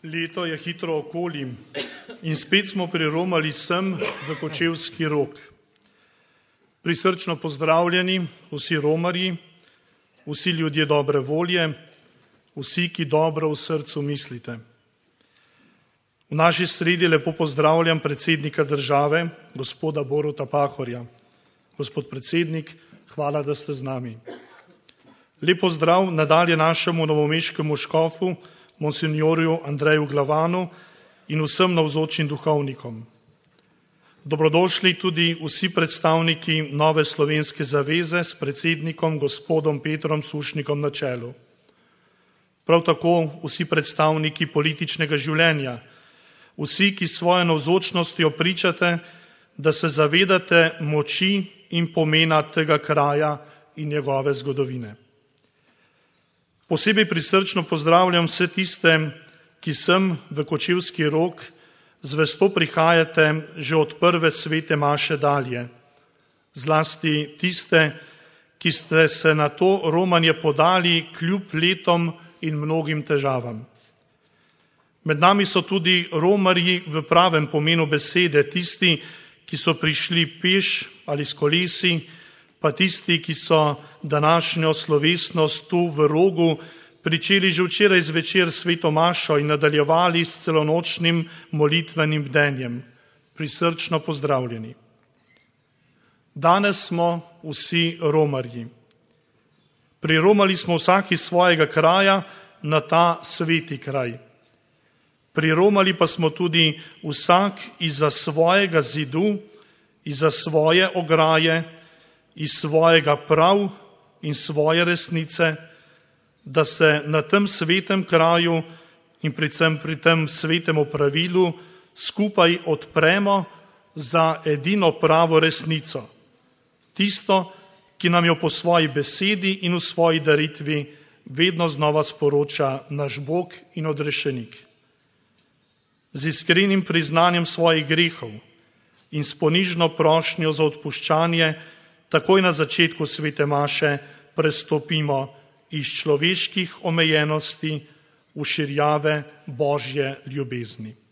Leto je hitro okoli in spet smo priromali sem v Kočevski Rog. Prisrčno pozdravljeni vsi romarji, vsi ljudje dobre volje, vsi, ki dobro v srcu mislite. V naši sredi lepo pozdravljam predsednika države, gospoda Boruta Pahorja. Gospod predsednik, hvala, da ste z nami. Lep pozdrav nadalje našemu novomeškemu škofu, monsinjorju Andreju Glavanu in vsem navzočim duhovnikom. Dobrodošli tudi vsi predstavniki Nove slovenske zaveze s predsednikom gospodom Petrom Sušnikom na čelu. Prav tako vsi predstavniki političnega življenja, vsi, ki svojo navzočnostjo pričate, da se zavedate moči in pomena tega kraja in njegove zgodovine. Posebej prisrčno pozdravljam vse tiste, ki sem v Kočevski Rog zvesto prihajate že od prve svete maše dalje. Zlasti tiste, ki ste se na to romanje podali kljub letom in mnogim težavam. Med nami so tudi romarji v pravem pomenu besede, tisti, ki so prišli peš ali s kolesi, pa tisti, ki so današnjo slovesnost tu v Rogu pričeli že včeraj zvečer sveto mašo in nadaljevali s celonočnim molitvenim bdenjem. Prisrčno pozdravljeni. Danes smo vsi romarji. Priromali smo vsak iz svojega kraja na ta sveti kraj. Priromali pa smo tudi vsak izza svojega zidu, izza svoje ograje, iz svojega prav in svoje resnice, da se na tem svetem kraju in predvsem pri tem svetem pravilu skupaj odpremo za edino pravo resnico. Tisto, ki nam jo po svoji besedi in v svoji daritvi vedno znova sporoča naš Bog in odrešenik. Z iskrenim priznanjem svojih grehov in s ponižno prošnjo za odpuščanje takoj na začetku svete maše prestopimo iz človeških omejenosti v širjave Božje ljubezni.